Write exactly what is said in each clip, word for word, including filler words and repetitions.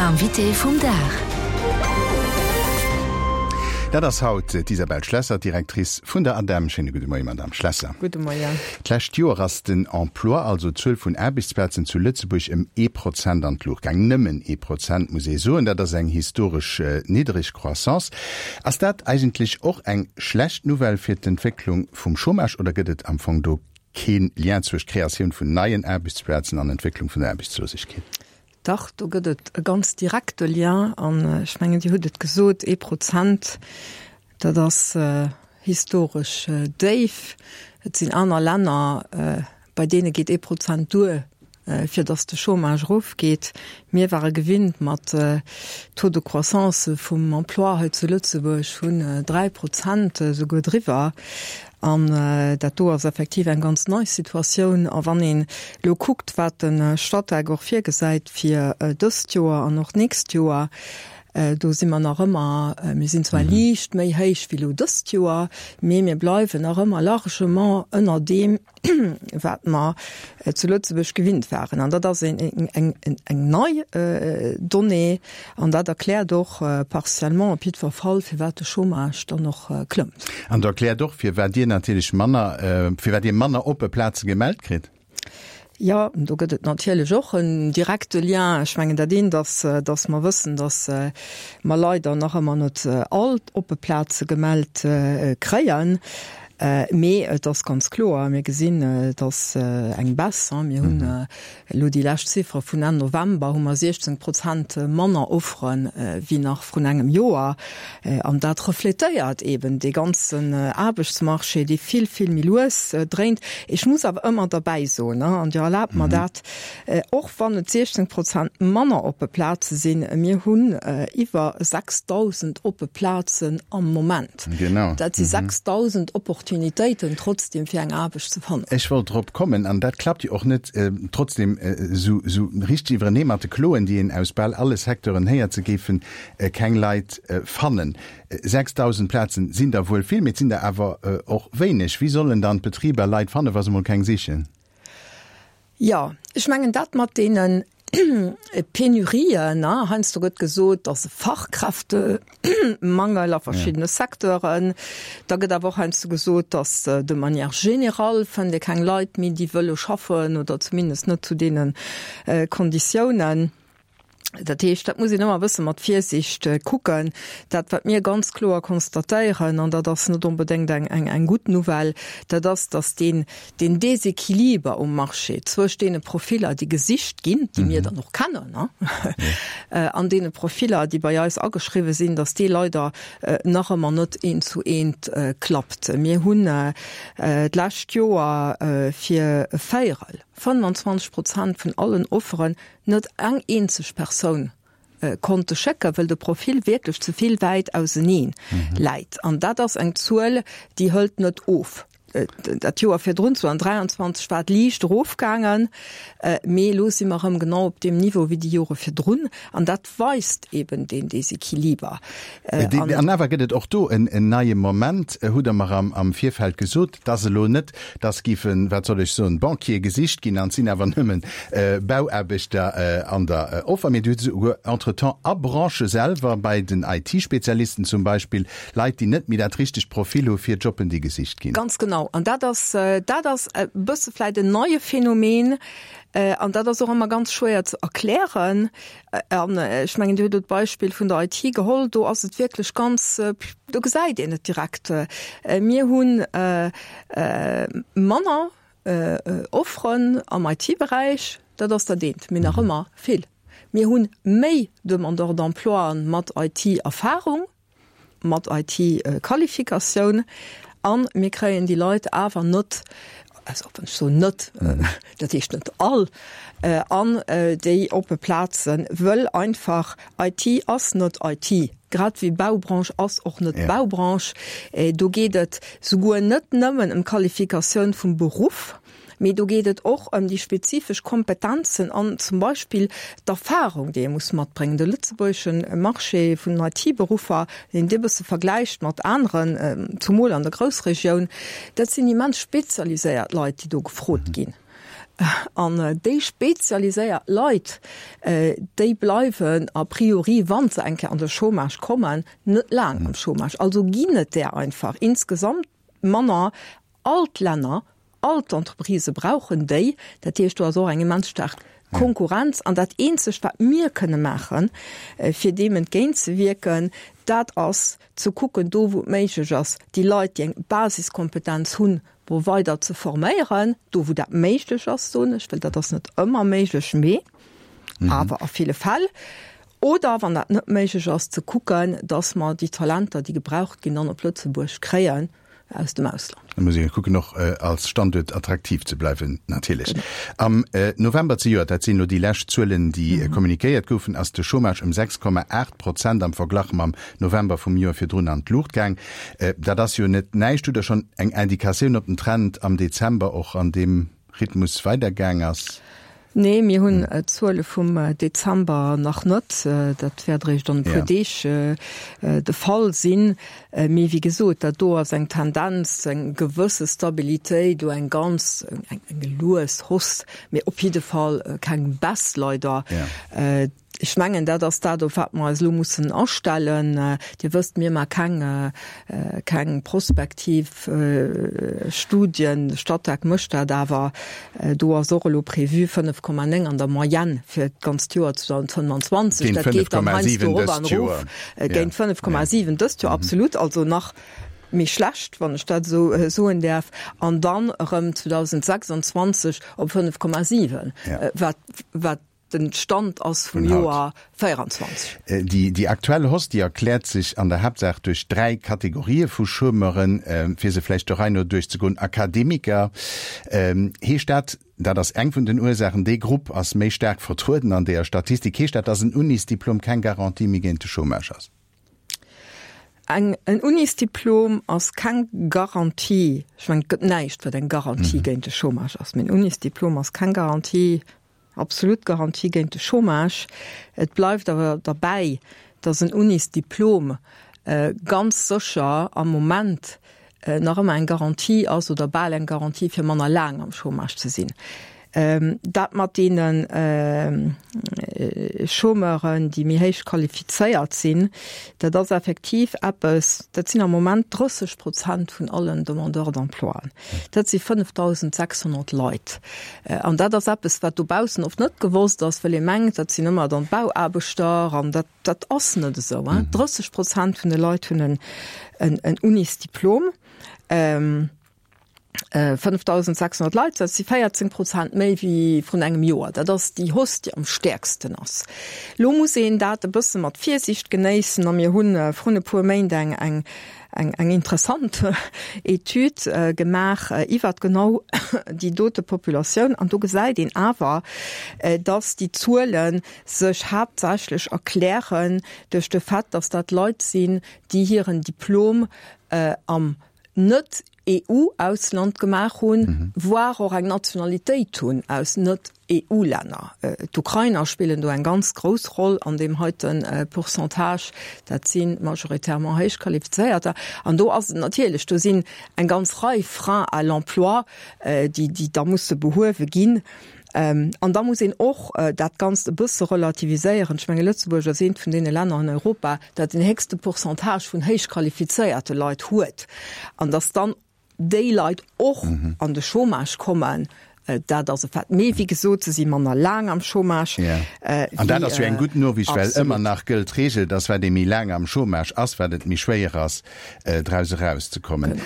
L'invité vum Dag. Dat ass haut d'Isabelle Schlesser, Directrice vun der ADEM. Schéine gudde Moien, Madame Schlesser. Gudde Moien. D'lescht Joer ass den Emploi, also d'Zuel vun Aarbechtsplazen zu Lëtzebuerg ëm ee Prozent an d'Luucht gaang. Nëmmen ee Prozent, muss ee soen. Dat ass eng historesch niddreg Croissance. Ass dat eigentlech och eng schlecht Nouvelle fir d'Entwécklung vum Chômage oder gëtt et am Fong do keen Lien zwëscht Kreatioun vun neien Aarbechtsplazen an Entwécklung vun der Aarbechtslosegkeet? Dach, do gëtt et e ganz direkte Lien. An ech mengen, Dir hutt et gesot, ee Prozent, dat ass historesch déif. Et sinn aner Länner, bei deene geet ee Prozent duer, fir datt de Chômage erofgeet. Mir ware gewinnt mat Taux de croissance vum Emploi hei zu Lëtzebuerg vun dräi Prozent, esouguer driwwer. An dat do ass effektiv eng ganz nei Situatioun. A wann een elo kuckt, wat de Statec och virgesäit fir dëst Joer an och d'nächst Joer, do si mer nach ëmmer, mir sinn zwar liicht méi héich wéi elo dëst Joer, mee mir bleiwen nach ëmmer largement ënner deem, wat mer zu Lëtzebuerg gewinnt waren. An dat ass eng nei Donnée an dat erkläert och partiellement op jiddwer Fall, firwat de Chômage dann och klëmmt. An dat erkläert och, firwat Dir natierlech manner, firwat Dir manner oppe Plaze gemellt kritt. Jo, do gëtt et natierlech och en direkte Lien. Ech mengen, dat eent ass, datt mer wëssen, datt mer leider nach ëmmer net all d'oppe Plaze gemellt kréien. Mee et ass ganz kloer, mir gesinn, et ass eng Baisse. Mir hunn elo déi lescht Ziffere vun Enn November, hu mer siechzéng Prozent manner Offere wéi nach vrun engem Joer. An dat refletéiert eeben dee ganzen Aarbechtsmarché, dee vill, vill méi lues dréint. Ech muss awer ëmmer derbäi soen, an Dir erlaabt mer dat, och wann et siechzéng Prozent manner oppe Plaze sinn, mir hunn iwwer sechsdausend oppe Plazen am Moment. Dat si sechsdausend Opportunitéiten trotzdem fir eng Aarbecht ze fannen. Ech wollt drop kommen, an dat klappt jo och net trotzdem esou richteg iwwerenee mat de Kloen, déi een aus bal alle Secteuren héiert, se géifen keng Leit fannen. sechsdausend Plazen sinn der wuel vill, mee et sinn der awer och wéineg. Wéi sollen dann d'Betriber Leit fannen, wa se mol keng sichen? Jo, ech mengen dat mat deene Penurien, heiansdo gëtt gesot, dass e Fachkräftemangel a verschiddene Secteuren. Da gëtt awer och heiansdo gesot, dass de manière générale fënnt ee keng Leit méi, déi wëlle schaffen oder zumindest net zu deene Konditiounen. Dat heescht, dat muss een ëmmer e bësse mat Virsiicht kucken. Dat, wat mir ganz kloer konstatéieren, an dat ass net onbedéngt eng, eng, eng gutt Nouvelle, dat ass, dass deen, deen Déséquiliber um Marché zwëscht deene Profiller, déi gesicht ginn, déi mir dann och kennen, an deene Profiller, déi bei eis ageschriwwen sinn, dass dee leider nach ëmmer net eent zu eent klappt. Mir hunn d'lescht Joer fir e Véierel, fënnwanzwanzeg Prozent vun allen Offeren, net eng eenzeg Persoun konnte schécken, well de Profil wierklech ze vill wäit auseneen läit. An dat ass eng Zuel, déi hëlt net of. Dat Joer virdrun, zweitausenddräianzwanzeg, war et liicht erofgaangen, mee elo si mer erëm genau op deem Niveau wéi déi Jore virdrun. An dat weist eben deen Desequiliber. An awer gëtt et och do en neie Moment, hutt Der mer am Virfeld gesot. Et ass elo net, dass géifen, wat soll ech soen, Banquiere gesicht ginn an et sinn awer nëmmen Bauaarbechter an der Offer. Mee Dir hutt esouguer entretemps a Branchë selwer, bei den I T-Spezialisten zum Beispill, Leit, déi net méi dat richtegt Profil hu fir Jobben, déi gesicht ginn. Ganz genau. An dat ass, dat ass e bësse vläicht en neie Phänomen. An dat ass och ëmmer ganz schwéier ze erklären. An ech mengen, Dir hutt elo d'Beispill vun der I T geholl. Do ass et wierklech ganz, do gesäit een et direkt. Mir hunn manner Offeren am I T-Beräich, dat ass dat eent, mee nach ëmmer vill. Mir hunn méi Demandeurs d'emploien mat I T-Erfahrung, mat I T-Qualifikatioun, a mir kréien déi Leit awer net, also wann ech soen net, dat heescht net all, an déi oppe Plazen, wëll einfach I T ass net I T, grad wéi Baubranche ass och net Baubranche. Do geet et souguer net nëmmen ëm d'Qualifikatioun vum Beruff, mee do geet et och ëm déi spezifesch Kompetenzen an zum Beispill d'Erfahrung, déi ee muss matbréngen. De lëtzebuergesche Marché vun den I T-Beruffer, deen Dir e bësse vergläicht mat aneren, zumol an der Groussregioun, dat sinn immens spezialiséiert Leit, déi do gefrot ginn. An déi spezialiséiert Leit, déi bleiwen a priori, wa se eng Kéier an de Chômage kommen, net laang am Chômage. Also ginn et där einfach insgesamt manner. All d'Länner, all d'Entreprisë brauchen déi. Dat heescht, do ass och eng immens staark Konkurrenz. An dat Eenzegt, wat mir kënne maachen, fir deem entgéintzewierken, dat ass ze kucken, do wou et méiglech ass, déi Leit, déi eng Basiskompetenz hunn, wou weider ze forméieren, do wou dat méiglech ass, soen ech, well dat ass net ëmmer méiglech, mee awer a ville Fäll, oder wann dat net méiglech ass, ze kucken, dass mer déi Talenter, déi gebraucht ginn, dann op Lëtzebuerg kréien aus dem Ausland. Da muss ee kucken och als Standuert attraktiv ze bleiwen natierlech. Am November zejoert, dat sinn elo déi lescht Zuelen, déi kommunikéiert goufen, ass de Chômage ëm sechs Komma aacht Prozent am Verglach mam November vum Joer virdrun an d'Luucht gaang. Dat ass jo net näischt. Hutt Der schonn eng Indikatioun, ob den Trend am Dezember och an deem Rhythmus weidergaang ass? Nee, mir hunn d'Zuele vum Dezember nach net. Dat wäert eréischt an e puer Deeg de Fall sinn. Mee wéi gesot, dat do ass eng Tendenz, eng gewësse Stabilitéit, do eng ganz, eng lues Hausse, mee op jidde Fall keng Baisse leider. Ech mengen, dat ass dat, op wat mer eis elo mussen astellen. Dir wësst, mir maache keng, keng prospektiv Studien. De Statec mécht dat awer. Do ass och elo prévu fënnef Komma néng an der Moyenne fir d'ganzt Joer zweedausendfënnwanzwanzeg. Géint Dat geet dann fënnef Komma heiansdo siwen erop an dëst erof. Joer. Géint fënnef Komma siwen dëst Joer, absolut. Also nach méi schlecht, wann ech dat esou soen däerf. An dann erëm zweedausendsechsanzwanzeg op fënnef Komma siwen, wat, wat den Stand ass vum Joer véieranzwanzeg. Déi, déi aktuell Hausse, déi erkläert sech an der Haaptsaach duerch dräi Kategorië vu Chômeuren, fir se vläicht der Rei no duerchzegoen. Akademiker, heescht dat, dat ass eng vun den Ursaachen, dee Grupp ass méi staark vertrueden an deeër Statistik, heescht dat, dass en Unisdiplom keng Garantie méi géint de Chômage ass? Eng, en Unisdiplom ass keng Garantie, ech mengen, et gëtt näischt, wat eng Garantie géint de Chômage ass, mee en Unisdiplom ass keng Garantie, absolut Garantie géint de Chômage. Et bleift awer derbäi, dass en Unisdiplom ganz sécher am Moment nach ëmmer eng Garantie ass oder bal eng Garantie, fir manner laang am Chômage ze sinn. Dat mat deene Chômeuren, déi méi héich qualifizéiert sinn, dat ass effektiv eppes, dat sinn am Moment drësseg Prozent vun allen Demandeurs d'emploien. Dat si fënnefdausendsechshonnert Leit. An dat ass eppes, wat dobaussen oft net gewosst ass, well ee mengt, dat sinn ëmmer dann d'Bauaarbechter an dat, dat ass net esou. Drësseg Prozent vun de Leit hunn en, en Unisdiplom. fënnefdausendsechshonnert Leit, dat si véierzéng Prozent méi wéi vrun engem Joer. Dat ass déi Hausse, déi am stäerksten ass. Elo muss een dat e bësse mat Virsiicht genéissen a mir hu vrun e puer Méint eng, eng, eng, eng interessant Etüd gemaach iwwert genau déi dote Populatioun an do gesäit een awer, dass déi Zuele sech haaptsächlech erklären duerch de Fait, dass dat Leit sinn, déi hiren Diplom am net-E U-Ausland gemaach hunn, voire och eng Nationalitéit hunn aus net-E U-Länner. D'Ukrainer spillen do eng ganz grouss Roll an deem heite Pourcentage. Dat si majoritairement Héichqualifizéierter. An do ass et natierlech, do sinn eng ganz Rei Freins à l'emploi, déi, déi da musse behuewe ginn. An da muss een och dat Ganzt e bësse relativiséieren. Ech menge Lëtzebuerg ass eent vun deene Länner an Europa, dat den héchste Pourcentage vun héichqualifizéierte Leit huet. An datt dann déi Leit och an de Chômage kommen, dat ass e Fait. Mee wéi gesot, se si manner laang am Chômage. An dat ass jo eng gutt Noriicht, well ëmmer nach gëllt d'Reegel, datt wat ee méi laang am Chômage ass, wat et méi schwéier ass, draus erauszekommen.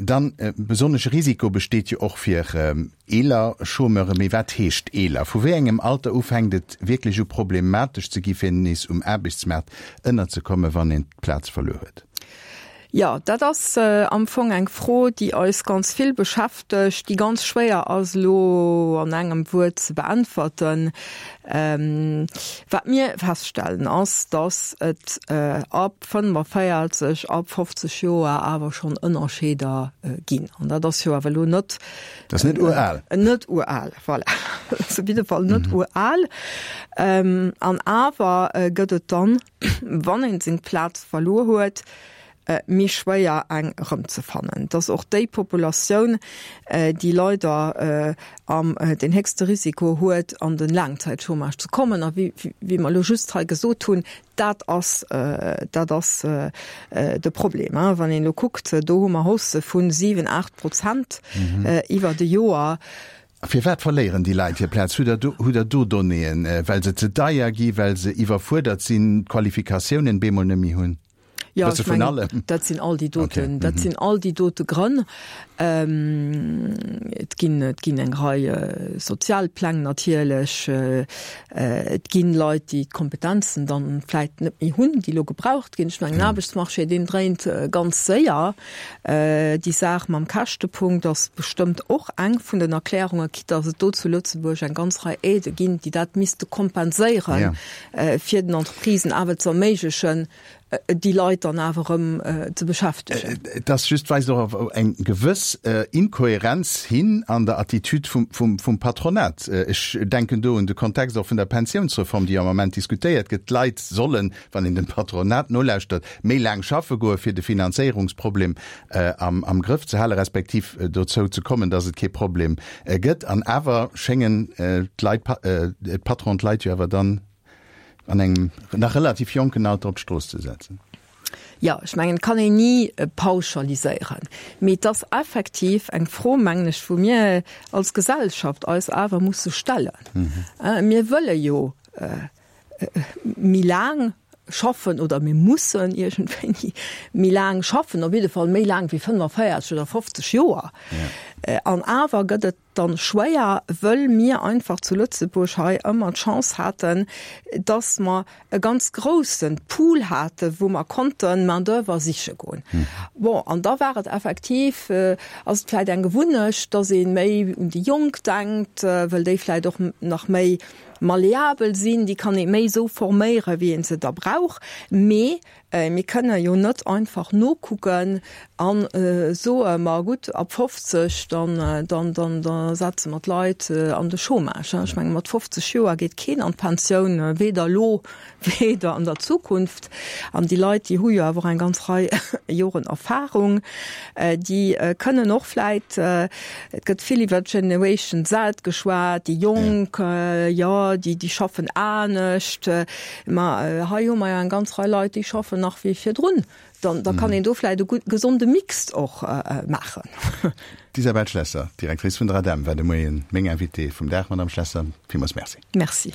Dann, besonnesche Risiko besteet jo och fir eeler Chômeure. Mee wat heescht eeler? Vu wéi engem Alter u fänkt et wierklech u problematesch ze gi fir nees um Aarbechtsmaart ënnerzekommen, wann een d'Plaz verluer huet? Jo, dat ass am Fong eng Fro, déi eis ganz vill beschäftegt, déi ganz schwéier ass elo an engem Wuert ze beäntwerten. Wat mir feststellen ass, datt et ab fënnefenvéierzeg, ab fofzeg Joer awer schonn Ënnerscheeder ginn. An dat ass jo awer elo net. Dat ass net ural. Net ural, voilà. Dat ass op jidde Fall net ural. An awer gëtt et dann, wann een seng Plaz verluer huet, méi schwéier eng erëmzefannen. Et ass och déi Populatioun, déi leider am den héchste Risiko huet, an de Laangzäitchômage ze kommen. A wéi mer elo just hei gesot hunn, dat ass, dat ass de Problem. Wann een elo kuckt, do hu mer Haussë vu siwen, aacht Prozent iwwert e Joer. A firwat verléieren déi Leit hir Plaz? Hutt Der do, hutt Der do Donnéeën? Well se ze deier gi, well se iwwerfuerdert sinn, d'Qualifikatiounen bemol net méi hunn? Jo, ech mengen, dat sinn all déi doten, dat sinn all déi dote Grënn. Et ginn, et ginn eng Rei Sozialpläng natierlech. Et ginn Leit, déi d'Kompetenzen dann vläicht net méi hunn, déi elo gebraucht ginn. Ech mengen, den Aarbechtsmarché, deen dréint ganz séier. Déi Saach mam Käschtepunkt ass bestëmmt och eng vun den Erklärungen, quitte dass et do zu Lëtzebuerg eng ganz Rei Aidë ginn, déi dat misste kompenséieren, fir den Entreprisen awer ze erméiglechen, déi Leit dann awer erëm ze beschäftegen. Et ass just, weist och op eng gewëss Inkohärenz hin an der Attitude vum Patronat. Ech denken do un de Kontext och vun der Pensiounsreform, déi am Moment diskutéiert gëtt. D'Leit sollen, wann een dem Patronat nolauschtert, méi laang schaffe goe fir de Finanzéierungsproblem am Grëff ze halen, respektiv dozou ze kommen, datt et kee Problem gëtt. An awer schéngen d'Leit, d'Patronen d'Leit jo awer dann an engem nach relativ jonken Alter op d'Strooss ze setzen. Jo, ech mengen, et kann een ni pauschaliséieren, mee et ass effektiv eng Fro, mengen ech, wou mir als Gesellschaft eis awer musse stellen. Mir wëlle jo méi laang schaffen oder mir mussen iergendwéini méi laang schaffen, op jidde Fall méi laang wéi fënnefenvéierzeg oder fofzeg Joer. An awer gëtt et dann schwéier, wëll mir einfach zu Lëtzebuerg hei ëmmer d'Chance haten, dass mer e ganz groussen Pool haten, wou mer konnten Main d'oeuvre siche goen. Bon, an da war et effektiv, ass et vläicht eng Gewunnecht, dass ee méi un déi Jonk denkt, wëll déi vläicht och nach méi malleabel sinn, déi kann ee méi esou forméieren, wéi ee se da brauch. Mee mir kënne jo net einfach nokucken a soe, ma gutt, ab fofzeg, dann, dann, dann, da setze mer d'Leit an de Chômage. Ech menge mat fofzeg Joer geet keen an d'Pensioun, weder elo, weder an der Zukunft. An déi Leit, déi hu jo awer och eng ganz Rei Joren Erfahrung. Déi kënnen och vläit, et gëtt vill iwwer d'Generation Z geschwat, déi Jonk, jo, déi, déi schaffen anescht. Ma hei hu mer jo eng ganz Rei Leit, déi schaffen nach wéi virdrun. Dann, da kann een do vläicht e gutt, gesonde Mix och maachen. D'Isabel Schlesser, Directrice vun der ADEM, war de Moien meng Invitée vum Dag. Madame Schlesser, villmools Merci. Merci.